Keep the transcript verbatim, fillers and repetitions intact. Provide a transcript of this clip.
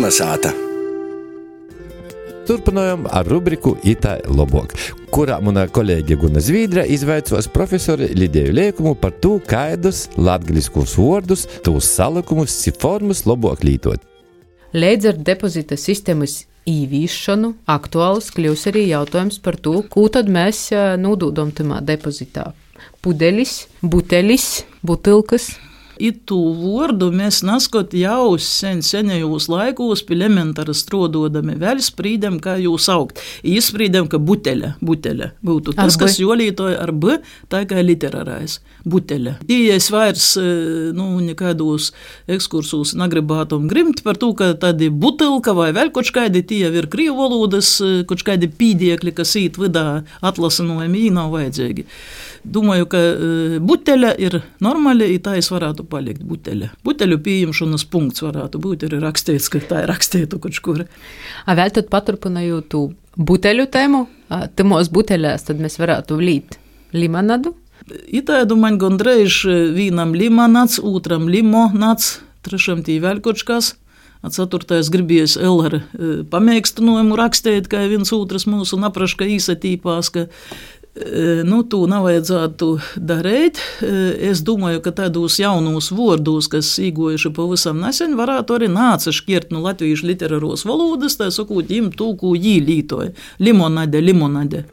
Kalnasāta. Turpinājam ar rubriku Itā lobok, kurā mana kolēģe Guna Zvīdra izvaicos profesori Lidiju Liekumu par to, kādus latgaliskus vārdus, tūs salikumus, formas lobok lītot. Līdz ar depozita sistēmas īvīšanu aktuāls kļūs arī jautājums par to, ko tad mēs nododam tamā depozitā. Pudelis, butelis, butilkas. Itū vārdu mēs naskot jau sen senajos laikos pie elementāra strododami vēl sprīdam, kā jūs augt. Izsprīdam, ka buteļa, buteļa būtu tas, kas jolītoja ar B, tā kā literārais. Buteļa. Tījies vairs, nu, nekādos ekskursus nagribātum grimt par to, ka tādi butilka vai vēl koč kādi tie ir krīvu valodas, koč kādi pīdiekļi, kas īt vidā atlasinojumi, nav vajadzīgi. Domāju, ka buteļa ir normāli, i tā es varētu palikt buteļa. Buteļu pieņemšanas punkts varētu būt arī rakstīts, ka tā ir rakstītu koč kur. A vēl tad paturpinājot tū buteļu tēmu, tamos buteļās tad mēs varētu līt limonadu. Itādu man gondreiz vīnam limonāds, otram limonāds, trešam tī vēl koč kas. A ceturtais gribies L ar pamēkstinojumu rakstīt, kā viens otrs mūsu napraška īsatīpās, ka nu, to nav vajadzētu darīt. Es domāju, ka tādos jaunos vārdus, kas īgojuši pavisam nesen, varētu arī nāca šķirt no latviešu literāros valodas, tā sakot, jim to, ko jī lītoja. Limonade, limonade.